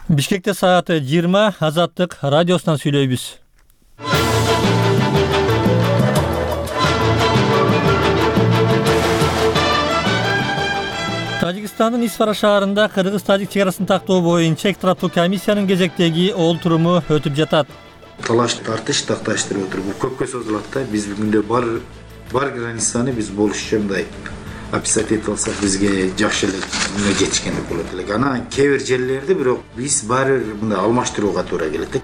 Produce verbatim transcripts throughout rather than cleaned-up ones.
Бишкекте сааты жыйырма, Азаттык радиосунан сүйлөйбүз. Тажикстандын Исфара шаарында кыргыз-тажик чек арасын тактоо боюнча экстраптуу комиссиянын кезектеги олтуруму өтүп жатат. Талаш тартыш такташтырып отуруп көпкө созулат да. Биз бүгүндө бар бар границаны биз болушча мындай описать этип алсак бизге жакшы эле мына жетишкендик болот элек. Анан кээ бир жерлерде бирок биз баары мындай алмаштырууга туура келет.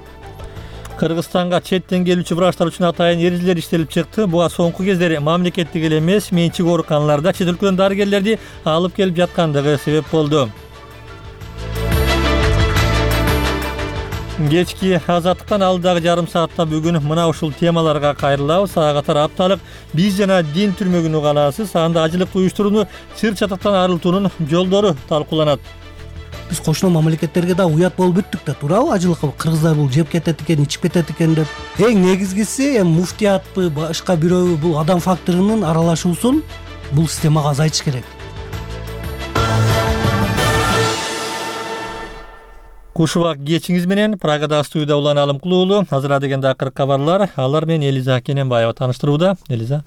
Кыргызстанга четтен келүүчү врачтар үчүн атайын эрежелер иштелип чыкты. Буга соңку кездери мамлекеттик эле эмес, менчик ооруканаларда чет өлкөдөн дарыгерлерди алып келип жаткандыгы себеп болду. Кечки Азаттыктан алдагы жарым саатта бүгүн мына ушул темаларга кайрылабыз. Ага катар апталык биз жана дин түрмөгүн уганасыз. Анда ажылыкты уюштурууну сыр чатактан арылтуунун жолдору талкууланат. Биз кошуна мамлекеттерге да уят болуп бүттүк да, туурабы? Ажылыкка кыргыздар бул жеп кетет экен, ичип кетет экен деп. Эң негизгиси эми муфтиятпы, башка бирөбү бул адам факторунун аралашуусун бул системага азайтыш керек. Кушубак кечиңиз менен Прагадагы студияда Улан Алымкулуулу. Азыр дегенде акыркы кабарлар. Алар менен Элиза Кененбаева тааныштырууда. Элиза.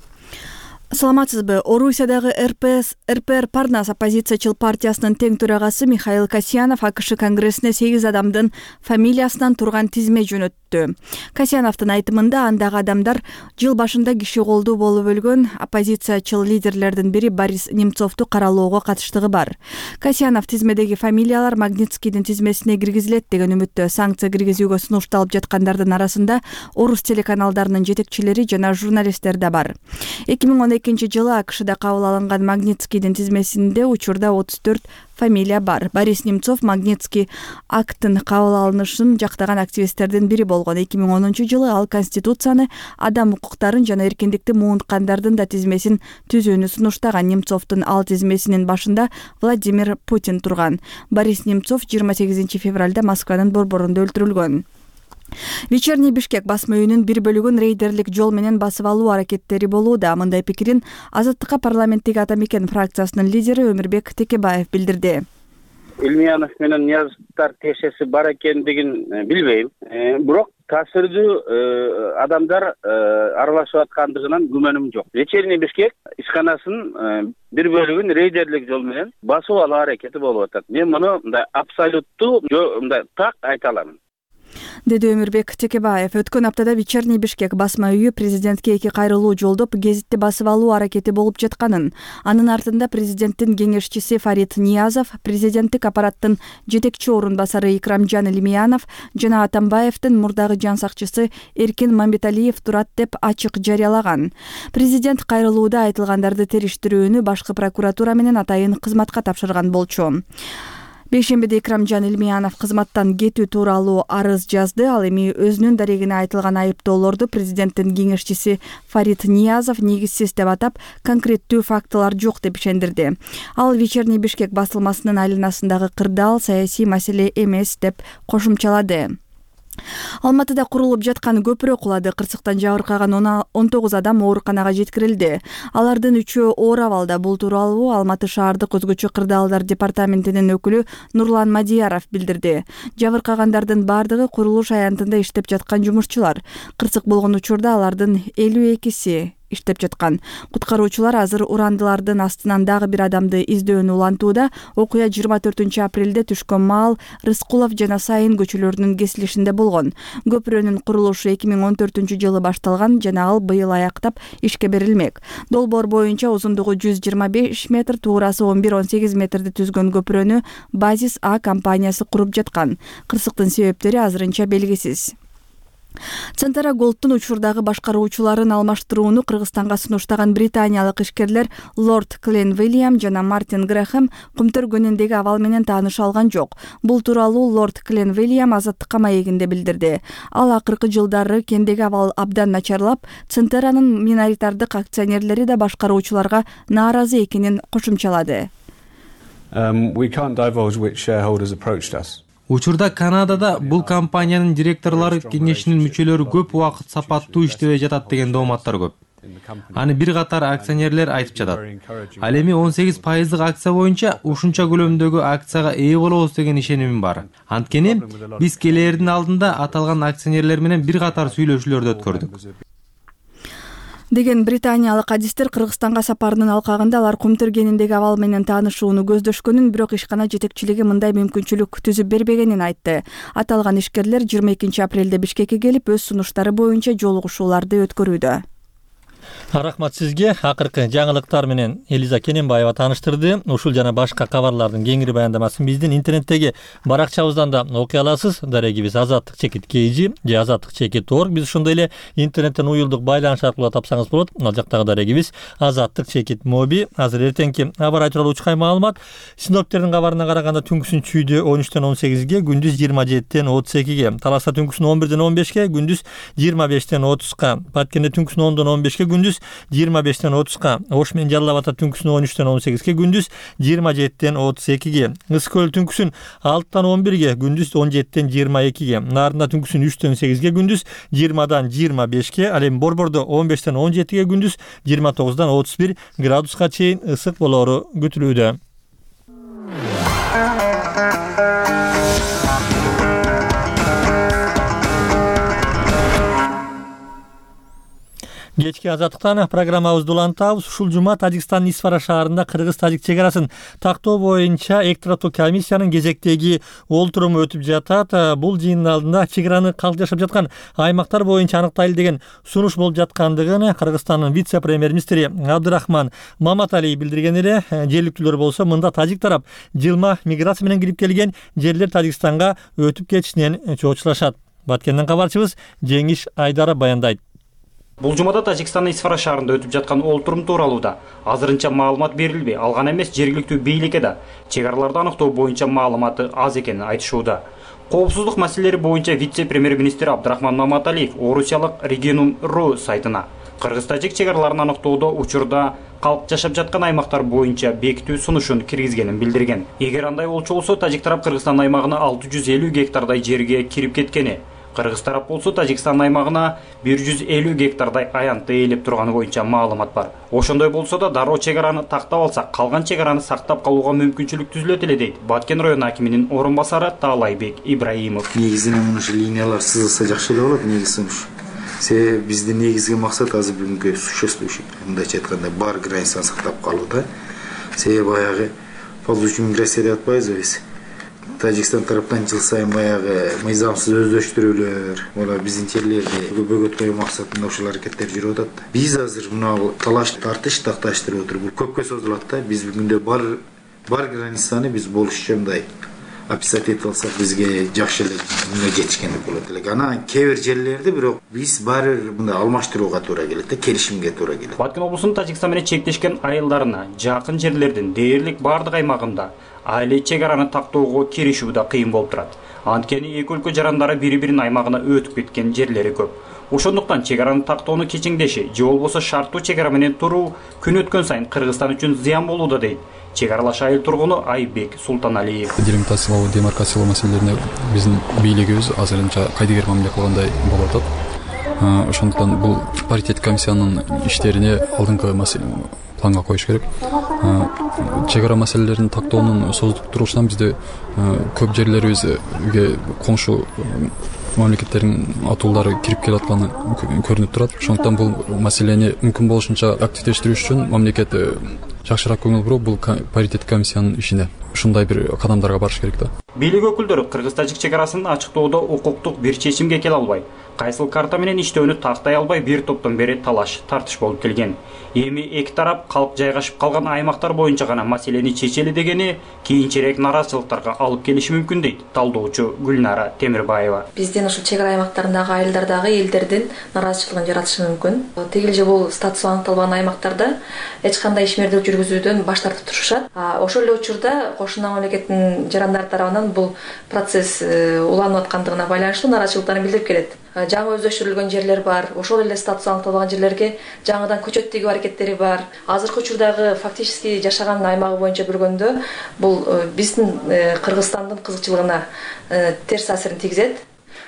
Саламатсызбы? Орусиядагы эр пэ эс эр пэ эр Парнас оппозициячыл партиясынын тең төрагасы Михаил Касьянов АКШ конгрессине сегиз адамдын фамилиясынан турган тизме жөнөттү. Касьяновдун айтымында андагы адамдар жыл башында киши колдуу болуп өлгөн оппозициячыл лидерлердин бири Борис Немцовду каралоого катыштыгы бар. Касьянов тизмедеги фамилиялар Магнитскийдин тизмесине киргизилет деген үмүттө. Санкция киргизүүгө сунушталып жаткандардын арасында орус телеканалдарынын жетекчилери жана журналисттер да бар. эки миң он экинчи жылы АКШда кабыл алынган Магнитскийдин тизмесинде учурда отуз төрт фамилия бар. Борис Немцов Магнитский акттын кабыл алынышын жактаган активисттердин бири болгон. эки миң онунчу жылы ал Конституцияны, адам укуктарын жана эркиндикти муунткандардын да тизмесин түзүүнү сунуштаган. Немцовдун ал тизмесинин башында Владимир Путин турган. Борис Немцов жыйырма сегизинчи февралда Москванын борборунда өлтүрүлгөн. Вечерний Бишкек басма үйүнүн бир бөлүгүн рейдерлик жол менен басып алуу аракеттери болууда. Мындай пикирин Азаттыкка парламенттеги Ата Мекен фракциясынын лидери Өмүрбек Текебаев билдирди. Илмиянов менен Ниязовдор тиешеси бар экендигин билбейм. Бирок таасирдүү адамдар аралашып аткандыгынан күмөнүм жок. Вечерний Бишкек ишканасынын бир бөлүгүн рейдерлик жол менен басып алуу аракети болуп атат. Мен муну мындай абсолюттуу мындай так айта алам, деди Өмүрбек Текебаев. Өткөн аптада Вечерний Бишкек басма үйү президентке эки кайрылуу жолдоп гезитти басып алуу аракети болуп жатканын, анын артында президенттин кеңешчиси Фарид Ниязов, президенттик аппараттын жетекчи орун басары Икрамжан Илмиянов жана Атамбаевдин мурдагы жан сакчысы Эркин Мамбеталиев турат деп ачык жарыялаган. Президент кайрылууда айтылгандарды териштирүүнү башкы прокуратура менен атайын кызматка тапшырган болчу. Бейшембиде Икрамжан Илмиянов кызматтан кетүү тууралуу арыз жазды. Ал эми өзүнүн дарегине айтылган айыптоолорду президенттин кеңешчиси Фарид Ниязов негизсиз деп атап, конкреттүү фактылар жок деп ишендирди. Ал Вечерний Бишкек басылмасынын айланасындагы кырдаал саясий маселе эмес деп кошумчалады. Алматыда курулуп жаткан көпүрө кулады. Кырсыктан жабыркаган он тогуз адам ооруканага жеткирилди. Алардын үчөө оор абалда. Бул тууралуу Алматы шаардык өзгөчө кырдаалдар департаментинин өкүлү Нурлан Мадияров билдирди. Жабыркагандардын бардыгы курулуш аянтында иштеп жаткан жумушчулар. Кырсык болгон учурда алардын элүү экиси иштеп жаткан. Куткаруучулар азыр урандылардын астынан дагы бир адамды издөөнү улантууда. Окуя жыйырма төртүнчү апрелде түшкөн маал Рыскулов жана Сайын көчөлөрүнүн кесилишинде болгон. Көпүрөнүн курулушу эки миң он төртүнчү жылы башталган жана ал быйыл аяктап ишке берилмек. Долбоор боюнча узундугу жүз жыйырма беш метр, туурасы он бир он сегиз метрди түзгөн көпүрөнү Базис А компаниясы куруп жаткан. Кырсыктын себептери азырынча белгисиз. Центара Голдтун учурдагы башкаруучуларын алмаштырууну Кыргызстанга сунуштаган британиялык ишкерлер Лорд Клен Вильям жана Мартин Грэхэм кумтөргөнүндөгү абал менен тааныша алган жок. Бул тууралуу Лорд Клен Вильям Азаттыкка маегинде билдирди. Ал акыркы жылдары кендеги абал абдан начарлап, Центеранын миноритардык акционерлери да башкаруучуларга нааразы экенин кошумчалады. Um, we can't divulge which shareholders approached us. Учурда Канадада бул компаниянын директорлору кеңешинин мүчөлөрү көп убакыт сапаттуу иштебей жатат деген дооматтар көп. Аны бир катар акционерлер айтып жатат. Ал эми он сегиз пайыздык акция боюнча ушунча көлөмдөгү акцияга ээ болобуз деген ишенимим бар. Анткени биз келээрдин алдында аталган акционерлер менен бир катар сүйлөшүүлөрдү өткөрдүк. Деген британиялык адистер Кыргызстанга сапарынын алкагында алар кум тергеніндеги абал менен таанышууну көздөшкөнүн, бирок ишкана жетекчилиги мындай мүмкүнчүлүк түзүп бербегенин айтты. Аталган ишкерлер жыйырма экинчи апрелде Бишкекке келип, өз сунуштары боюнча жолугушууларды өткөрүүдө. Рахмат сизге. Акыркы жаңылыктар менен Элиза Кененбаева тааныштырды. Ушул жана башка кабарлардын кеңири баяндамасын биздин интернеттеги баракчабыздан да окуй аласыз. Дарегибиз азаттык чекит kg же азаттык чекит точка орг. Биз ошондой эле интернеттен уюлдук байланыш аркылуу тапсаңыз болот. Ал жактагы дарегибиз азаттык чекит моби. Азыр эртеңки аба рай тууралуу учкай маалымат. Синоптиктердин кабарына караганда түнкүсүн чүйдө он үчтөн он сегизге, күндүз жыйырма жетиден отуз экиге, Таласта түнкүсүн он бирден он бешке, күндүз жыйырма бештен отузга, Баткенде түнкүсүн ондон он бешке, күндүз жыйырма бештен отузга, Ош менен Жалал Абадта түнкүсүн он үчтөн он сегизге, күндүз жыйырма жетиден отуз экиге, Ысык көл түнкүсүн алтыдан он бирге, күндүз он жетиден жыйырма экиге, Нарында түнкүсүн үчтөн сегизге, күндүз жыйырмадан жыйырма бешке, ал эми Борбордо он бештен он жетиге, күндүз жыйырма тогуздан отуз бир градуска чейин ысык болоору күтүлүүдө. Кечки азаттыктан программабызды улантабыз. Ушул жума Тажикстандын Исфара шаарында кыргыз-тажик чек арасын тактоо боюнча эки тараптуу комиссиянын кезектеги олтуруму өтүп жатат. Бул жыйындын алдында чек араны калк жашап жаткан аймактар боюнча аныктайлы деген сунуш болуп жаткандыгын Кыргызстандын вице-премьер-министри Абдырахман Маматалиев билдирген эле. Жергиликтүүлөр болсо мында тажик тарап жылма миграция менен кирип келген жерлер Тажикстанга өтүп кетишинен чоочулашат. Баткенден кабарчыбыз Жеңиш Айдаров баяндайт. Бул жумада Тажикстандын Исфара шаарында өтүп жаткан олтурум тууралуу да азырынча маалымат берилбей, алган эмес жергиликтүү бийликке да чек араларды аныктоо боюнча маалыматы аз экенин айтышууда. Коопсуздук маселелери боюнча вице-премьер-министр Абдырахман Маматалиев орусиялык Регионум.ру сайтына кыргыз-тажик чек араларын аныктоодо учурда калк жашап жаткан аймактар боюнча бекитүү сунушун киргизгенин билдирген. Эгер андай болчу болсо, тажик тарап Кыргызстан аймагына алты жүз элүү гектардай жерге кирип кеткени, Кыргыз тарап болсо Тажикстан аймагына бир жүз элүү гектардай аянтты ээлеп турганы боюнча маалымат бар. Ошондой болсо да дароо чек араны тактап алсак, калган чек араны сактап калууга мүмкүнчүлүк түзүлөт эле дейт Баткен район акиминин орун басары Таалайбек Ибраимов. Негизинен ушул линиялар сызылса жакшы эле болот, негизи ушу. Себеби биздин негизги максат азыр бүгүнкү существующий, мындайча айтканда, бар границаны сактап калууда. Себеби баягы ползучий миграция деп атпайбызбы биз? Тажикстан тараптан жыл сайын баягы мыйзамсыз өздөштүрүүлөр, мына биздин жерлерди бөгөткөө максатында ушул аракеттер жүрүп атат. Биз азыр мына талаш тартыш такташтырып отуруп, бул көпкө созулат да. Биз бүгүндө бар бар границаны биз болушчу мындай описать этип алсак, бизге жакшы эле мына жетишкендик болот эле. Анан кээ бир жерлерди бирок биз баары мындай алмаштырууга туура келет да, келишимге туура келет. Баткен облусунун Тажикстан менен чектешкен айылдарына жакын жерлердин дээрлик бардык аймагында айыл чек араны тактоого киришүү да кыйын болуп турат. Анткени эки өлкө жарандары бири-биринин аймагына өтүп кеткен жерлери көп. Ошондуктан чек араны тактоону кечиңдеши же болбосо шарттуу чек ара менен туруу күн өткөн сайын Кыргызстан үчүн зыян болууда дейт чек аралаш айыл тургуну Айбек Султаналиев. Делимитациялоо, демаркациялоо маселелерине биздин бийлигибиз азырынча кайдыгер мамиле кылгандай болуп атат. Ошондуктан бул паритет комиссиянын иштерине алдыңкы планга коюш керек. Чек ара маселелерин тактоонун созулуп турушунан бизде көп жерлерибизге коңшу мамлекеттердин атуулары кирип келатканы көрүнүп турат. Ошондуктан бул маселени мүмкүн болушунча активдештирүү үчүн мамлекет жакшыраак көңүл буруп, бул паритет комиссиянын ишине ушундай бир кадамдарга барыш керек да. Бийлик өкүлдөрү кыргыз-тажик чек арасын ачыктоодо укуктук бир чечимге келе албай, кайсыл карта менен иштөөнү тактай албай бир топтон бери талаш тартыш болуп келген. Эми эки тарап калк жайгашып калган аймактар боюнча гана маселени чечели дегени кийинчерээк нараазычылыктарга алып келиши мүмкүн дейт талдоочу Гүлнара Темирбаева. Биздин ушул чек ара аймактарындагы айылдардагы элдердин нараазычылыгын жаратышы мүмкүн. Тигил же бул статусу аныкталбаган аймактарда эч кандай ишмердик жүргүзүүдөн баш тартып турушат. Ошол эле учурда кошуна мамлекеттин жарандары тарабынан бул процесс уланып аткандыгына байланыштуу нараазычылыктарын билдирип келет. Жаңы өздөштүрүлгөн жерлер бар, ошол эле статусу аныкталбаган жерлерге жаңыдан көчөт тигүү аракеттери бар. Азыркы учурдагы фактически жашаган аймагы боюнча көргөндө бул биздин Кыргызстандын кызыкчылыгына терс таасирин тийгизет.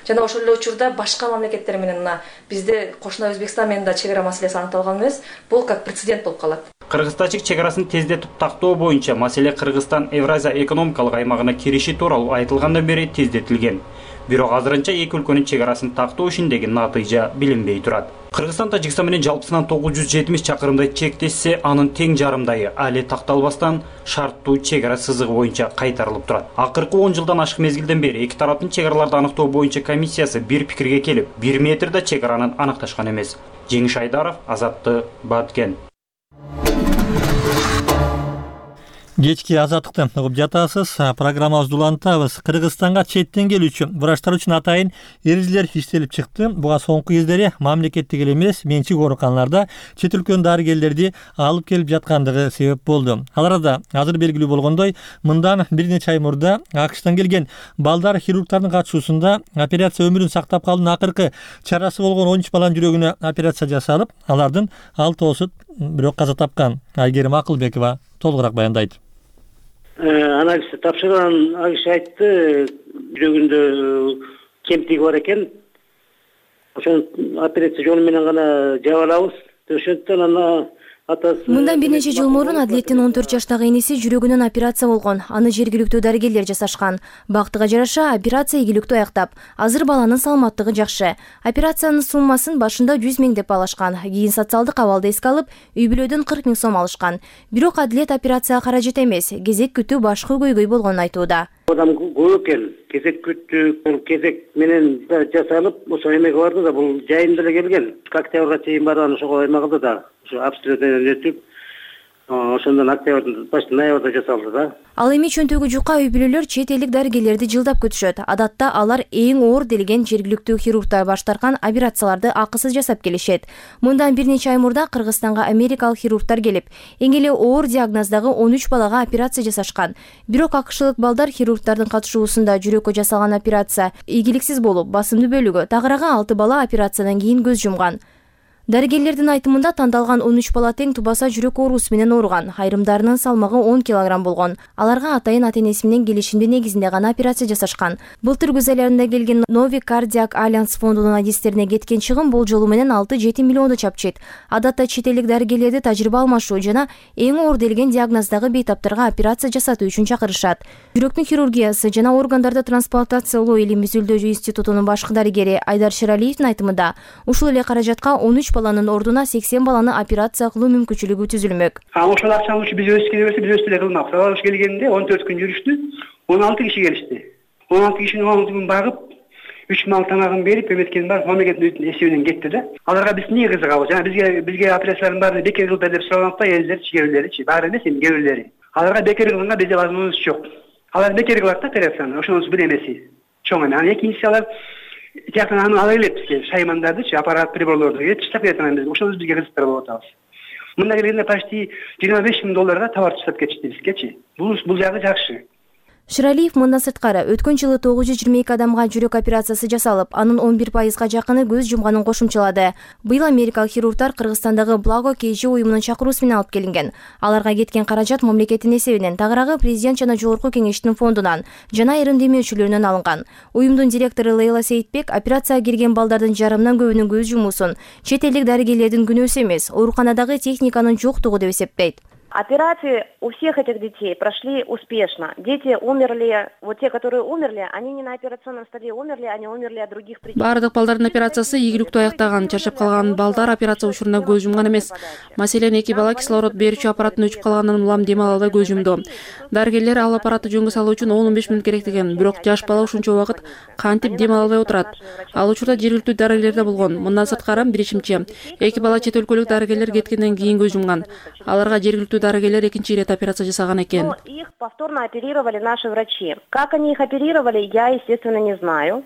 жана ошол эле учурда башка мамлекеттер менен мына бизде кошуна Өзбекстан менен да чек ара маселеси аныкталган эмес. Бул как прецедент болуп калат. Кыргыз-тажик чек арасын тездетип тактоо боюнча маселе Кыргызстан Евразия экономикалык аймагына кириши тууралуу айтылгандан бери тездетилген. Бирок азырынча эки өлкөнүн чек арасын тактоо ишиндеги натыйжа билинбей турат. Кыргызстан Тажикстан менен жалпысынан тогуз жүз жетимиш чакырымдай чектешсе, анын тең жарымдайы али такталбастан шарттуу чек ара сызыгы боюнча кайтарылып турат. Акыркы он жылдан ашык мезгилден бери эки тараптын чек араларды аныктоо боюнча комиссиясы бир пикирге келип, бир метрде чек аранын аныкташкан эмес. Жеңиш Айдаров, Азаттык, Баткен. Кечки азаттыкты угуп жатасыз. Программабызды улантабыз. Кыргызстанга четтен келүүчү врачтар үчүн атайын эрежелер иштелип чыкты. Буга соңку кездери мамлекеттик эле эмес, менчик ооруканаларда чет өлкөнүн дарыгерлерди алып келип жаткандыгы себеп болду. Ал арада азыр белгилүү болгондой, мындан бир нече ай мурда АКШтан келген балдар хирургтардын катышуусунда операция өмүрүн сактап калуунун акыркы чарасы болгон он үч баланын жүрөгүнө операция жасалып, алардын алтоосу бирок каза тапкан. Айгерим Акылбекова толугураак баяндайт. Анализ тапшырган АКШ айтты, жүрөгүндө кемтиги бар экен. Ошон операция жолу менен гана жаап алабыз. Ошондон ана Мындан бир нече жыл мурун Адлеттин он төрт жаштагы эниси жүрөгүнөн операция болгон. Аны жергиликтүү дарыгерлер жасашкан. Бактыга жараша операция ийгиликтүү аяктап, азыр баланын саламаттыгы жакшы. Операциянын суммасын башында жүз миң деп алышкан. Кийин социалдык абалды эске алып, үй бүлөдөн кырк миң сом алышкан. Бирок Адлет операцияга каражат эмес, кезек күтүү башкы көйгөй болгонун айтууда. Адам көп экен, кезек күттүк, кезек менен жасалып, ошо эмеге барды да, бул жайында эле келген. Октябрга чейин барган ошого эме да. Обстрелден өтүп, ошондон октябрдын башында ноябрда жасалды да. Ал эми чөнтөгү жука үй бүлөлөр чет элдик дарыгерлерди жылдап күтүшөт. Адатта алар эң оор делген жергиликтүү хирургтар баш тарткан операцияларды акысыз жасап келишет. Мындан бир нече ай мурда Кыргызстанга америкалык хирургтар келип, эң эле оор диагноздагы он үч балага операция жасашкан. Бирок акшылык балдар хирургтардын катышуусунда жүрөккө жасалган операция ийгиликсиз болуп, басымдуу бөлүгү тагыраагы алты бала операциядан кийин көз жумган. Дарыгерлердин айтымында тандалган он үч бала тең тубаса жүрөк оорусу менен ооруган. Айрымдарынын салмагы он килограмм болгон. Аларга атайын ата-энеси менен келишимдин негизинде гана операция жасашкан. Былтыр күз айларында келген Нови Кардиак Альянс фондунун адистерине кеткен чыгым болжолу менен алты жети миллионду чапчыйт. Адатта чет элдик дарыгерлерди тажрыйба алмашуу жана эң оор делген диагноздагы бейтаптарга операция жасатуу үчүн чакырышат. Жүрөктүн хирургиясы жана органдарды трансплантациялоо илимий изилдөө институтунун башкы дарыгери Айдар Шералиевдин айтымында, ушул эле каражатка он үч баланын ордуна сексен баланы операция кылуу мүмкүнчүлүгү түзүлмөк. Ошол акчаны ушу биз өскенде берсе, биз өстү эле кылмакпыз. Алар келгенде он төрт күн жүрүштү, он алты киши келишти. он алты кишинин он алты күн багып, үч мал тамагын берип, эметкен бар, мамлекеттин эсебинен кетти да. Аларга биз эмне кызыгабыз? Жана бизге бизге операциялардын баарын бекер кылды деп сураганып да, элдер, чигебилери, баары эмес, эми кээ-бирлери. Аларга бекер кылганга бизде возможность жок. Алар бекер кылат да операцияны, ошонусу бир эмеси. Чоң эме. Анан экинчиси алар жактан аны ала келет бизге, шаймандардычы, аппарат, приборлорду келип чыштап кетет анан биз. Ошону бизге кызыктырып болуп атабыз. Мында келгенде почти жыйырма беш миң долларга товар чыгып кетишти бизгечи. Бул бул жагы жакшы. Шыралиев мындан сырткары өткөн жылы тогуз жүз жыйырма эки адамга жүрөк операциясы жасалып, анын он бир пайызга жакыны көз жумганын кошумчалады. Быйыл америкалык хирургтар Кыргызстандагы Благо КЖ уюмунун чакыруусу менен алып келинген. Аларга кеткен каражат мамлекеттин эсебинен, тагыраагы президент жана жогорку кеңештин фондунан жана айрым демөөрчүлөрүнөн алынган. Уюмдун директору Лейла Сейитбек операцияга кирген балдардын жарымынан көбүнүн көз жумуусун чет элдик дарыгерлердин күнөөсү эмес, ооруканадагы техниканын жоктугу деп эсептейт. Операции у всех этих детей прошли успешно. Дети умерли, вот те, которые умерли, они не на операционном столе умерли, они умерли от других причин. Бардык балдардын операциясы ийгиликтүү аяктаган. Чарчап калган балдар операция учурунда көз жумган эмес. Маселен, эки бала кислород берүүчү аппараттын өчүп калганынан улам дем алууда көз жумду. Дарыгерлер ал аппаратты жөнгө салуу үчүн он он беш мүнөт керек деген. Бирок жаш бала ушунча убакыт кантип дем ала албай отурат. Ал учурда жергиликтүү дарыгерлер да болгон. Мындан сырткары билишимче, эки бала чет өлкөлүк дарыгерлер кеткенден кийин көз жумган. Аларга жергиликтүү дарыгерлер экинчи ирет операция жасаган экен. Их повторно оперировали наши врачи. Как они их оперировали, я, естественно, не знаю.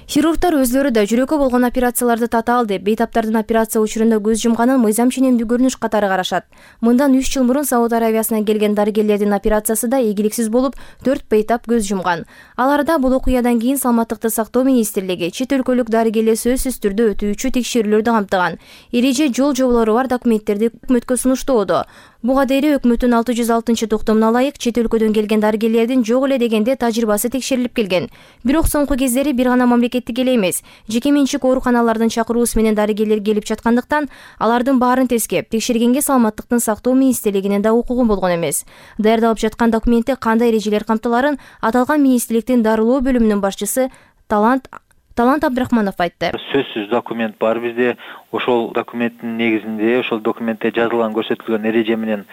Хирургтар өзлөрү да жүрөккө болгон операцияларды татаал деп, бейтаптардын операция учурунда көз жумганын мыйзам ченемдүү көрүнүш катары карашат. Мындан үч жыл мурун Сауд Аравиясынан келген дарыгерлердин операциясы да ийгиликсиз болуп, төрт бейтап көз жумган. Аларда бул окуядан кийин Саламаттыкты сактоо министрлиги чет өлкөлүк дарыгерлер сөзсүз түрдө өтүүчү текшерүүлөрдү камтыган. Эреже жол жоболору бар документтерди өкмөткө сунуштоодо. Буга дейре өкмөттүн алты жүз алтынчы токтомуна ылайык чет өлкөдөн келген дарыгерлердин жок эле дегенде тажрыйбасы текшерилип келген. Бирок соңку кездери бир гана мамлекеттик эле эмес, жеке менчик ооруканалардын чакыруусу менен дарыгерлер келип жаткандыктан, алардын баарын тескеп, текшергенге саламаттыктын сактоо министрлигинин да укугу болгон эмес. Даярдалып жаткан документте кандай эрежелер камтыларын аталган министрликтин дарылоо бөлүмүнүн башчысы Талант Талант Абдрахманов айтты. Сөзсүз документ бар бизде. Ошол документтин негизинде, ошол документте жазылган көрсөтүлгөн эреже менен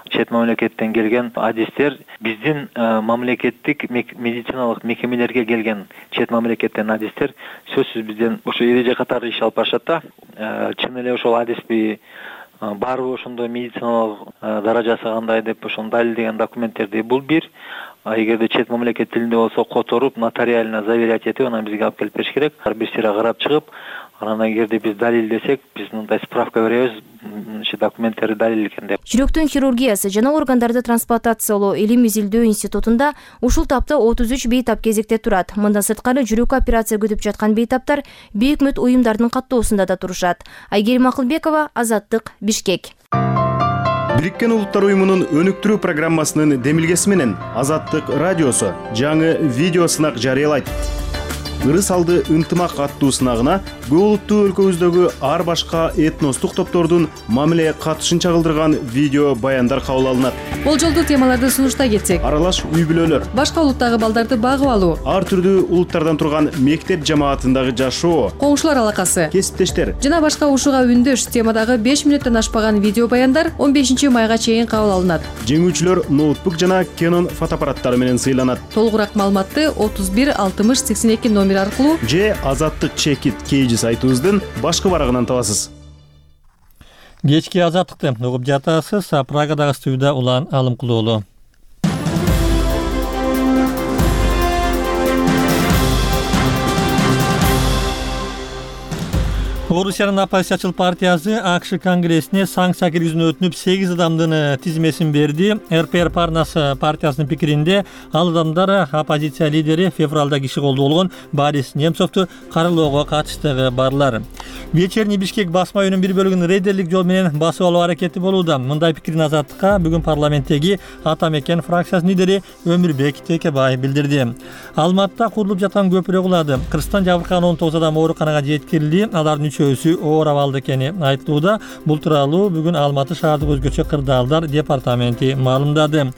чет мамлекеттен келген адистер биздин мамлекеттик медициналык мекемелерге келген чет мамлекеттен адистер сөзсүз бизден ошо эреже катары иш алып барышат да. Чын эле ошол адисби барбы ошондой медициналык даражасы кандай деп ошону далилдеген документтерди бул бир. А эгерде чет мамлекет тилинде болсо которуп, нотариально заверять этип, анан бизге алып келип бериш керек. Бир сыйра карап чыгып, анан эгерде биз далилдесек, биз мындай справка беребиз, ошо документтери далил экен деп. Жүрөктүн хирургиясы жана органдарды трансплантациялоо илим изилдөө институтунда ушул тапта отуз үч бейтап кезекте турат. Мындан сырткары жүрөк операция күтүп жаткан бейтаптар бейөкмөт уюмдардын каттоосунда да турушат. Айгерим Акылбекова, Азаттык, Бишкек. Бириккен Улуттар уюмунун өнүктүрүү программасынын демилгеси менен Азаттык радиосу жаңы видео сынак жарыялайт. Ырыс алды ынтымак аттуу сынагына көп улуттуу өлкөбүздөгү ар башка этностук топтордун мамиле катышын чагылдырган видео баяндар кабыл алынат. Болжолдуу темаларды сунуштай кетсек, аралаш үй бүлөлөр, башка улуттагы балдарды багып алуу, ар түрдүү улуттардан турган мектеп жамаатындагы жашоо, коңшулар алакасы, кесиптештер жана башка ушуга үндөш темадагы беш мүнөттөн ашпаган видео баяндар он бешинчи майга чейин кабыл алынат. Жеңүүчүлөр ноутбук жана Canon фотоаппараттары менен сыйланат. Толугураак маалыматты отуз бир алтымыш сексен эки номер аркылуу же Азаттык чекит кейжи сайтыбыздын башкы барагынан табасыз. Кечки Азаттыкты угуп жатасыз. Прагадагы студияда Улан Алымкулуулу. Орусиянын оппозициячыл партиясы АКШ конгрессине санкция киргизүүнү өтүнүп сегиз адамдын тизмесин берди. эр пэ эр Парнас партиясынын пикиринде ал адамдар оппозиция лидери февралда киши колдуу болгон Борис Немцовду каралоого катыштыгы барлар. Вечерний Бишкек басма үйүнүн бир бөлүгүн рейдерлик жол менен басып алуу аракети болууда. Мындай пикирин Азаттыкка бүгүн парламенттеги Ата мекен фракциясынын лидери Өмүрбек Текебаев билдирди. Алматта курулуп жаткан көпүрө кулады. Кырсыктан жабыркаган он тогуз адам ооруканага жеткирилди. Алардын үчөөсү оор абалда экени айтылууда. Бул тууралуу бүгүн Алматы шаардык өзгөчө кырдаалдар департаменти маалымдады.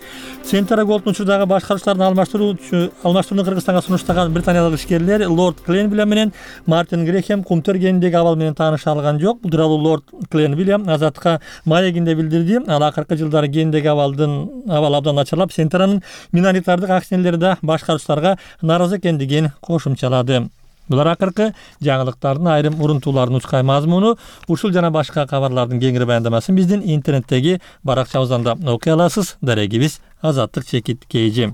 Центр Голдун учурдагы башкаруучулардын алмаштыруу алмаштырууну Кыргызстанга сунуштаган британиялык ишкерлер Лорд Кленвилем менен Мартин Грехем кумтөр кенидеги абал менен тааныша алган жок. Бул тууралуу Лорд Кленвилем Азаттыкка маегинде билдирди. Ал акыркы жылдары кенидеги абалдын абал абдан начарлап, Центрнын миноритардык акционерлери да башкаруучуларга нааразы экендигин кошумчалады. Булар акыркы жаңылыктардын айрым урунтууларынын учкай мазмуну. Ушул жана башка кабарлардын кеңири баяндамасын биздин интернеттеги баракчабыздан да окуй аласыз. Дарегибиз Азаттык чекит кейжи.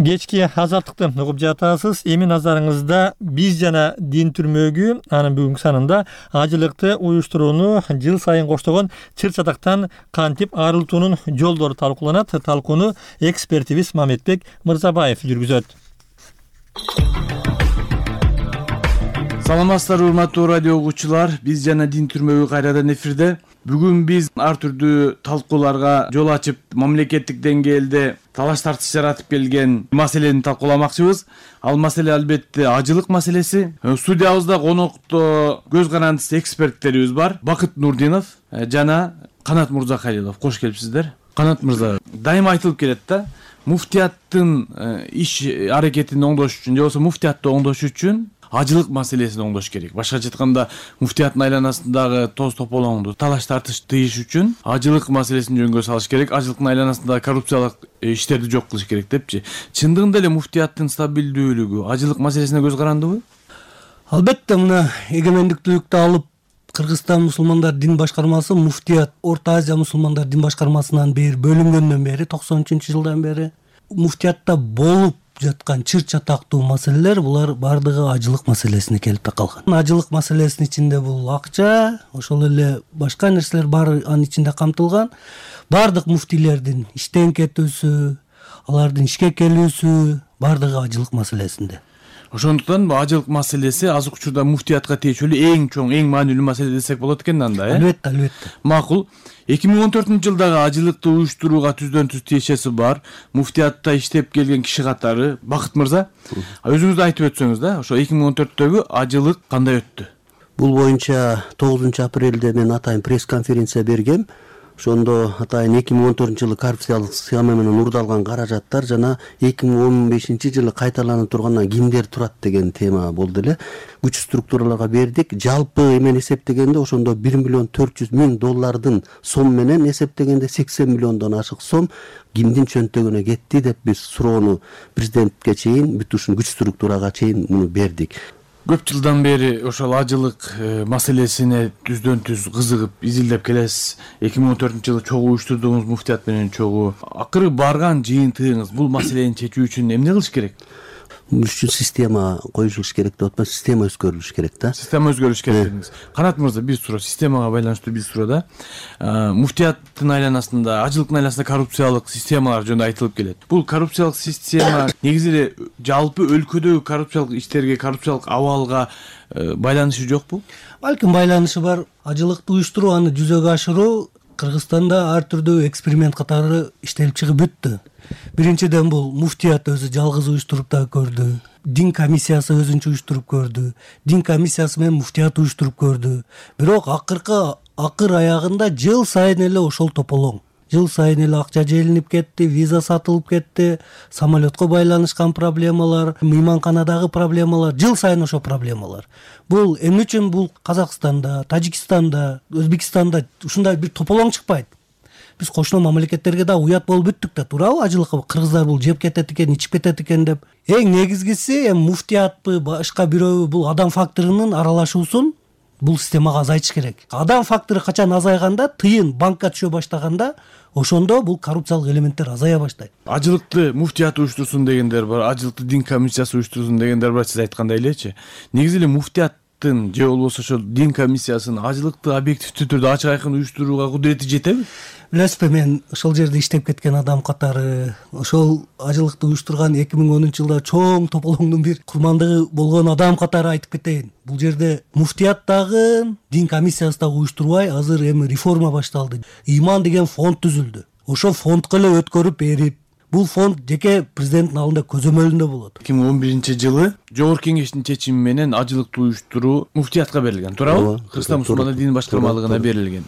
Кечки Азаттыкты угуп жатасыз. Эми назарыңызда биз жана дин түрмөгү анын бүгүнкү санында ажылыкты уюштурууну жыл сайын коштогон чыр-чатактан кантип арылтуунун жолдору талкууланат. Талкууну экспертибиз Мамедбек Мырзабаев жүргүзөт. Саламатсыздар урматтуу радио угуучулар, биз жана дин түрмөгү кайрадан эфирде. Бүгүн биз ар түрдүү талкууларга жол ачып, мамлекеттик деңгээлде талаш тартыш жаратып келген маселени талкууламакчыбыз. Ал маселе албетте ажылык маселеси. Студиябызда конокто көз карандысы эксперттерибиз бар. Бакыт Нурдинов жана Канат Мурзакалилов. Кош келипсиздер. Канат мырза, дайыма айтылып келет да, муфтияттын иш аракетин оңдош үчүн, же болбосо муфтиятты оңдош үчүн ажылык маселесин оңдош керек. Башкача айтканда, муфтияттын айланасындагы тоз тополоңду талаш тартыш тыйыш үчүн ажылык маселесин жөнгө салыш керек. Ажылыктын айланасындагы коррупциялык иштерди жок кылыш керек депчи. Чындыгында эле муфтияттын стабилдүүлүгү ажылык маселесине көз карандыбы? Албетте, мына эгемендиктүүлүктү алып Кыргызстан мусулмандар дин башкармасы муфтият Орто Азия мусулмандар дин башкармасынан бери бөлүнгөндөн бери токсон үчүнчү жылдан бери муфтиятта болуп жаткан чыр-чатактуу маселелер булар бардыгы ажылык маселесине келип такалган. Ажылык маселесинин ичинде бул акча, ошол эле башка нерселер баары анын ичинде камтылган. Бардык муфтийлердин иштен кетүүсү, алардын ишке келүүсү бардыгы ажылык маселесинде. Ошондуктан бул ажылык маселеси азыркы учурда муфтиятка тиешелүү эң чоң, эң маанилүү маселе десек болот экен анда, э? Албетте, албетте. Макул. эки миң он төртүнчү жылдагы ажылыкты уюштурууга түздөн түз тиешеси бар. Муфтиятта иштеп келген киши катары Бакыт мырза, өзүңүз да айтып өтсөңүз да, ошо эки миң он төрттөгү ажылык кандай өттү? Бул боюнча тогузунчу апрелде мен атайын пресс-конференция бергем. Ошондо атайын эки миң он төртүнчү жылы коррупциялык схема менен урдалган каражаттар жана эки миң он бешинчи жылы кайталанып тургандан кимдер турат деген тема болду эле. Күч структураларга бердик. Жалпы эмен эсептегенде ошондо бир миллион төрт жүз миң доллардын сом менен эсептегенде сексен миллиондон ашык сом кимдин чөнтөгүнө кетти деп биз суроону президентке чейин, бүт ушул күч структурага чейин муну бердик. Көп жылдан бери ошол ажылык маселесине түздөн түз кызыгып изилдеп келесиз. эки миң он төртүнчү жылы чогуу уюштурдуңуз, муфтият менен чогуу. Акыры барган жыйынтыгыңыз бул маселени чечүү үчүн эмне кылыш керек? Бул үчүн система коюлуш керек деп атпайбы, система өзгөрүлүш керек да. Система өзгөрүш керек дедиңиз. Канат мырза, бир суроо, системага байланыштуу бир суроо да. Муфтияттын айланасында, ажылыктын айланасында коррупциялык системалар жөнүндө айтылып келет. Бул коррупциялык система негизи эле жалпы өлкөдөгү коррупциялык иштерге, коррупциялык абалга байланышы жокпу? Балким байланышы бар. Ажылыкты уюштуруу, аны жүзөгө ашыруу Кыргызстанда ар түрдүү эксперимент катары иштелип чыгып бүттү. Биринчиден бул муфтият өзү жалгыз уюштуруп да көрдү. Дин комиссиясы өзүнчө уюштуруп көрдү. Дин комиссиясы менен муфтият уюштуруп көрдү. Бирок акыркы акыр аягында жыл сайын эле ошол тополоң. Жыл сайын эле акча желинип кетти, виза сатылып кетти, самолетко байланышкан проблемалар, мейманканадагы проблемалар, жыл сайын ошо проблемалар. Бул эмне үчүн бул Казакстанда, Тажикстанда, Өзбекстанда ушундай бир тополоң чыкпайт? Биз кошуна мамлекеттерге да уят болуп бүттүк да, туурабы? Ажылыкка кыргыздар бул жеп кетет экен, ичип кетет экен деп. Эң негизгиси эми муфтиятпы, башка бирөү бул адам факторунун аралашуусун бул системага азайтыш керек. Адам фактору качан азайганда, тыйын банкка түшө баштаганда, ошондо бул коррупциялык элементтер азая баштайт. Ажылыкты муфтият уюштурсун дегендер бар, ажылыкты дин комиссиясы уюштурсун дегендер бар, сиз айткандай элечи. Негизи эле муфтияттын же болбосо ошол дин комиссиясынын ажылыкты объективдүү түрдө ачык айкын уюштурууга кудурети жетеби? Билесизби, мен ошол жерде иштеп кеткен адам катары, ошол ажылыкты уюштурган эки миң онунчу жылда чоң тополоңдун бир курмандыгы болгон адам катары айтып кетейин. Бул жерде муфтият дагы, дин комиссиясы дагы уюштурбай, азыр эми реформа башталды. Иман деген фонд түзүлдү. Ошол фондко эле өткөрүп берип, бул фонд жеке президенттин алдында көзөмөлүндө болот. эки миң он биринчи жылы Жогорку Кеңештин чечими менен ажылыкты уюштуруу муфтиятка берилген, туурабы? Кыргызстан мусулмандар дин башкармалыгына берилген.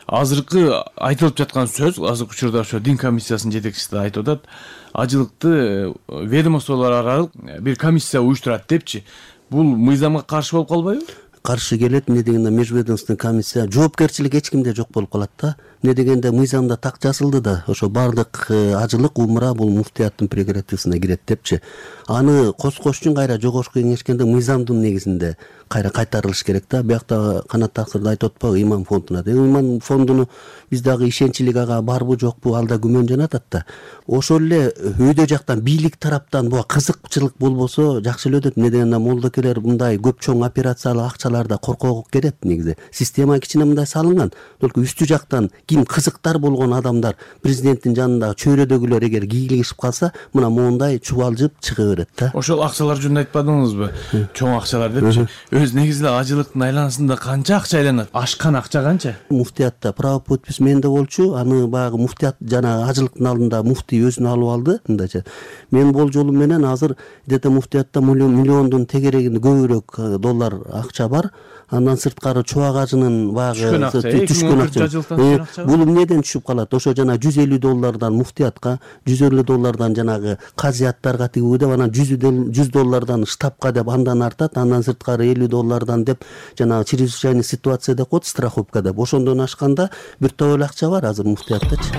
Азыркы айтылып жаткан сөз, азыркы учурда ошо дин комиссиясынын жетекчиси да айтып атат, ажылыкты ведомстволор аралык бир комиссия уюштурат депчи. Бул мыйзамга каршы болуп калбайбы? Каршы келет. Эмне дегенде межведомственный комиссия, жоопкерчилик эч кимде жок болуп калат да. Эмне дегенде мыйзамда так жазылды да, ошо бардык ажылык умура бул муфтияттын прерогативасына кирет депчи. Аны коскош үчүн кайра Жогорку Кеңешкенде мыйзамдын негизинде кайра кайтарылыш керек да. Биякта Канат Такырда айтып атпайбы, иман фондуна. Иман фондуну биз дагы ишенчилик ага барбы жокпу, ал да күмөн жанатат да. Ошол эле өйдө жактан, бийлик тараптан буга кызыкчылык болбосо жакшы эле өтөт. Эмне дегенде молдокелер мындай көп чоң операциялык акчаларда коркогу керет негизи. Система кичине мындай салынган. Только үстү жактан ким кызыктар болгон адамдар, президенттин жанындагы чөйрөдөгүлөр эгер кийлигишип калса, мына моундай чубалжып чыга берет да. Ошол акчалар жөнүндө айтпадыңызбы? Чоң акчалар депчи. Өз негизи эле ажылыктын айланасында канча акча айланат? Ашкан акча канча? Муфтиятта право подпись менде болчу. Аны баягы муфтият жана ажылыктын алдында муфтий өзүнө алып алды. Мындайча. Мен бул жолу менен азыр дете муфтиятта миллиондун тегерегинде көбүрөөк доллар акча бар. Андан сырткары чубак ажынын баягы түшкөн акча. Бул эмнеден түшүп калат? Ошо жана жүз элүү доллардан муфтиятка, жүз элүү доллардан жанагы казияттарга тигүү деп, анан жүз доллардан штабка деп андан артат, андан сырткары элүү доллардан деп жанагы чрезвычайный ситуация деп коет, страховка деп. Ошондон ашканда бир топ эле акча бар азыр муфтияттачы.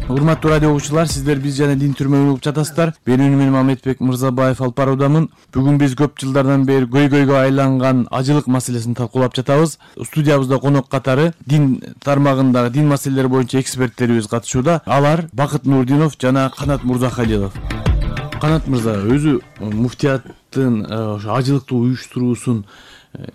Урматтуу радио угуучулар, сиздер биз жана дин түрмөгүн угуп жатасыздар. Менин менен Мамедбек Мырзабаев алып баруудамын. Бүгүн биз көп жылдардан бери көйгөйгө айланган ажылык маселесин талкуулап жатабыз. Студиябызда конок катары дин тармагындагы дин маселелери боюнча эксперттерибиз катышууда. Алар Бакыт Нурдинов жана Канат Мурзахалилов. Канат мырза, өзү муфтияттын ошо ажылыкты уюштуруусун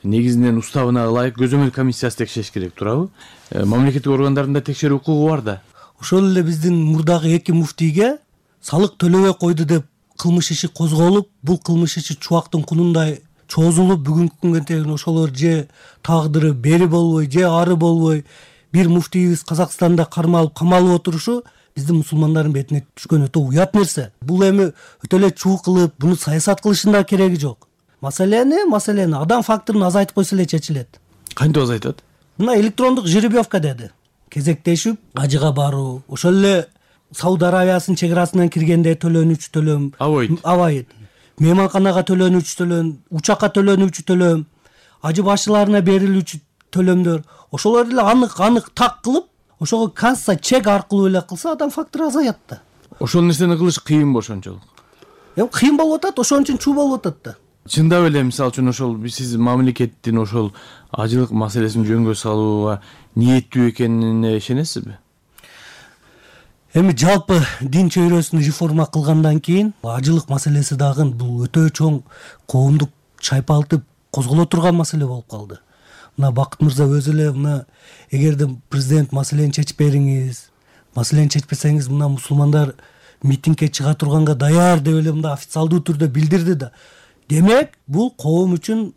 негизинен уставына ылайык көзөмөл комиссиясы текшериш керек, туурабы? Мамлекеттик органдарында текшерүү укугу бар да. Ошол эле биздин мурдагы эки муфтийге салык төлөбөй койду деп кылмыш иши козголуп, бул кылмыш иши чубактын кунундай чозулуп, бүгүнкү күнгө чейин ошолор же тагдыры бери болбой, же ары болбой бир муфтийибиз Казакстанда кармалып, камалып отурушу биздин мусулмандардын бетине түшкөн өтө уят нерсе. Бул эми өтө эле чуу кылып, буну саясат кылыштын да кереги жок. Маселени, маселени адам факторун азайтып койсо эле чечилет. Кантип азайтат? Мына электрондук жеребьевка деди. Кезектешип, ажыга баруу, ошол эле Сауд Аравиясынын чек арасынан киргенде төлөнүүчү төлөм, абайт. Абайт. Мейманканага төлөнүүчү төлөм, учакка төлөнүүчү төлөм, ажы башчыларына берилүүчү төлөмдөр, ошолор эле анык-анык так кылып, ошого касса чек аркылуу эле кылса адам фактору азаят да. Ошол нерсени кылыш кыйын ошончолук. Эми кыйын болуп атат, ошон үчүн чуу болуп атат да. Чындап эле мисалы үчүн ошол сиз мамлекеттин ошол ажылык маселесин жөнгө салууга ниеттүү экенине ишенесизби? Эми жалпы дин чөйрөсүн реформа кылгандан кийин ажылык маселеси дагы бул өтө чоң коомдук чайпалтып козголо турган маселе болуп калды. Мына Бакыт мырза өзү эле мына эгерде президент маселени чечип бериңиз, маселени чечпесеңиз мына мусулмандар митингге чыга турганга даяр деп эле мында официалдуу түрдө билдирди да. Демек, бул коом үчүн,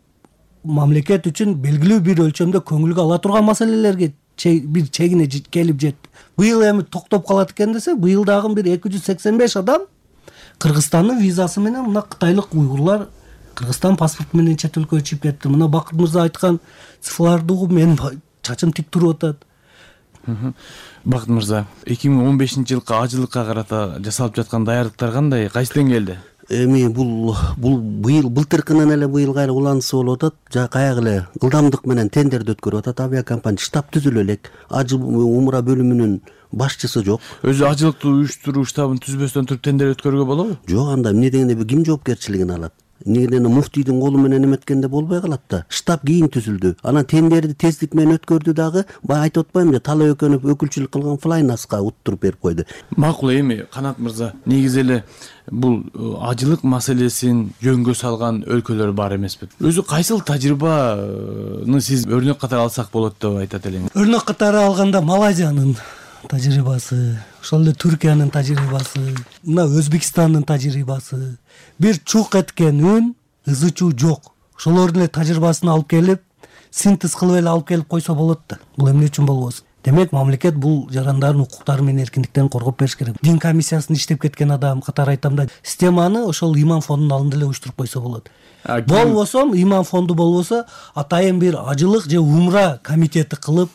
мамлекет үчүн белгилүү бир өлчөмдө көңүлгө ала турган маселелерге бир чегине келип жетти. Быйыл эми токтоп калат экен десе, быйыл дагы бир эки жүз сексен беш адам Кыргызстандын визасы менен мына кытайлык уйгурлар Кыргызстан паспорту менен чет өлкөгө чыгып кетти. Мына Бакыт мырза айткан цифрларды угуп менин чачым тик туруп атат. Бакыт мырза, эки миң он бешинчи жылкы ажылыкка карата жасалып жаткан даярдыктар кандай, кайсы деңгээлде? Эми бул бул быйыл былтыркынан эле быйыл кайра уланысы болуп атат. Жа каяк эле ылдамдык менен тендерди өткөрүп атат. Авиакомпания штаб түзүлө элек. Ажы умра бөлүмүнүн башчысы жок. Өзү ажылыкты уюштуруу штабын түзбөстөн туруп тендер өткөрүүгө болобу? Жок, анда эмне дегенде ким жоопкерчилигин алат? Негеден муфтийдин колу менен эметкенде болбой калат да. Штаб кийин түзүлдү. Анан тендерди тездик менен өткөрдү дагы. Бая айтып атпаймынбы, Талай Өкөнов өкүлчүлүк кылган Флайнаска уттуруп берип койду. Макул, эми Канат мырза, негизи эле бул ажылык маселесин жөнгө салган өлкөлөр бар эмеспи? Өзү кайсыл тажрыйбаны сиз өрнөк катары алсак болот деп айтат элеңиз? Өрнөк катары алганда Малайзиянын тажрыйбасы, ошол эле Түркиянын тажрыйбасы, мына Өзбекстандын тажрыйбасы, бир чук эткен үн, ызы чуу жок. Ошолордун эле тажрыйбасын алып келип, синтез кылып эле алып келип койсо болот да. Бул эмне үчүн болбосун? Демек, мамлекет бул жарандардын укуктары менен эркиндиктерин коргоп бериш керек. Дин комиссиясында иштеп кеткен адам катары айтам да, системаны ошол иман фондунун алдында эле уюштуруп койсо болот. Болбосо, иман фонду болбосо, атайын бир ажылык же умра комитети кылып,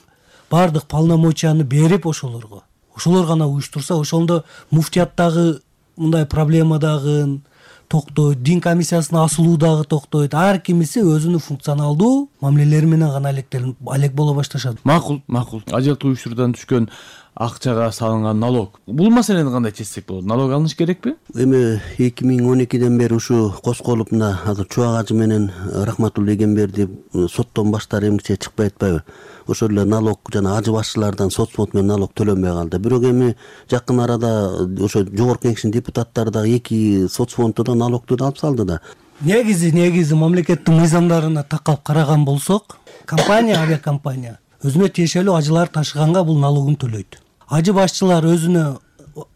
бардык полномочияны берип ошолорго. Ошолор гана уюштурса, ошондо муфтияттагы мындай проблема дагы токтойт, дин комиссиясына асылуу дагы токтойт. Ар кимиси өзүнүн функционалдуу мамилелери менен гана алек боло башташат. Макул, макул. Ажылыкты уюштуруудан түшкөн акчага салынган налог. Бул маселени кандай чечсек болот? Налог алыныш керекпи? Эми эки миң он экиден бери ушу козголуп мына азыр Чубак ажы менен Рахматулла Эгемберди соттон баштары эмгиче чыкпай атпайбы? Ошол эле налог жана ажы башчылардан сот фонд менен налог төлөнбөй калды. Бирок эми жакын арада ошо жогорку кеңештин депутаттары дагы эки сот фондду да налогду да алып салды да. Негизи, негизи мамлекеттин мыйзамдарына такалып караган болсок, компания, авиакомпания өзүнө тиешелүү ажылар ташыганга бул налогун төлөйт. Ажы башчылар өзүнө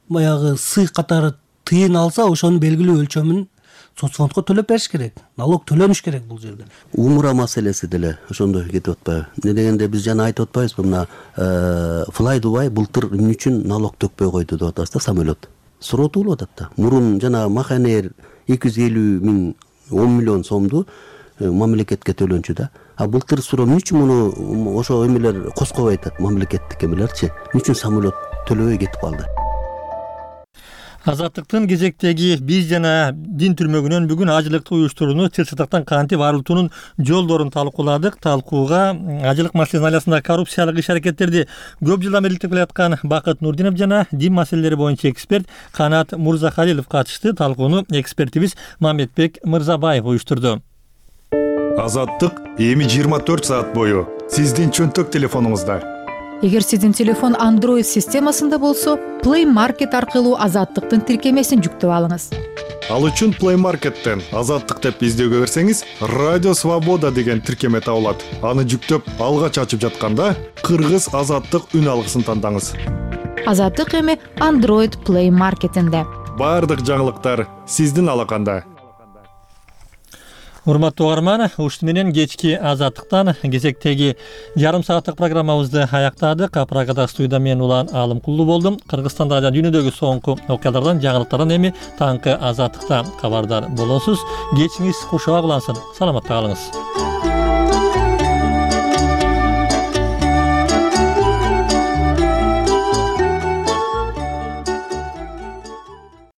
баягы сый катары тыйын алса, ошонун белгилүү өлчөмүн соцфондко төлөп бериш керек. Налог төлөнүш керек бул жерде. Умра маселеси деле ошондой кетип атпайбы? Эмне дегенде биз жана айтып атпайбызбы, мына Fly Dubai былтыр эмне үчүн налог төкпөй койду деп атабыз да, самолет. Суротуулуп атат да. Мурун жана Маханер эки жүз элүү миң он миллион сомду мамлекетке төлөнчү да. А былтыр суроо эмне үчүн муну ошо эмелер коскобой атат, мамлекеттик эмелерчи? Эмне үчүн самолет төлөбөй кетип калды? Азаттыктын кезектеги биз жана дин түрмөгүнөн бүгүн ажылыкты уюштурууну чыр-чатактан кантип арылтуунун жолдорун талкууладык. Талкууга ажылык маселесинин айласында коррупциялык иш-аракеттерди көп жылдан бери иликтеп келаткан Бакыт Нурдинов жана дин маселелери боюнча эксперт Канат Мурзахалилов катышты. Талкууну экспертибиз Мамедбек Мырзабаев уюштурду. Азаттык эми жыйырма төрт саат бою сиздин чөнтөк телефонуңузда. Эгер сиздин телефон Android системасында болсо, Play Market аркылуу Азаттыктын тиркемесин жүктөп алыңыз. Ал үчүн Play Market'тен Азаттык деп издөөгө берсеңиз, Радио Свобода деген тиркеме табылат. Аны жүктөп алгач ачып жатканда Кыргыз Азаттык үн алгысын тандаңыз. Азаттык эми Android Play Market'инде. баардык жаңылыктар сиздин алаканда. Урматтуу угарман, ушуну менен кечки Азаттыктан кезектеги жарым сааттык программабызды аяктадык. Прагада студияда мен Улан Алымкулду болдум. Кыргызстанда жана дүйнөдөгү соңку окуялардан, жаңылыктардан эми таңкы Азаттыкта кабардар болосуз. Кечиңиз кушуак улансын. Саламатта калыңыз.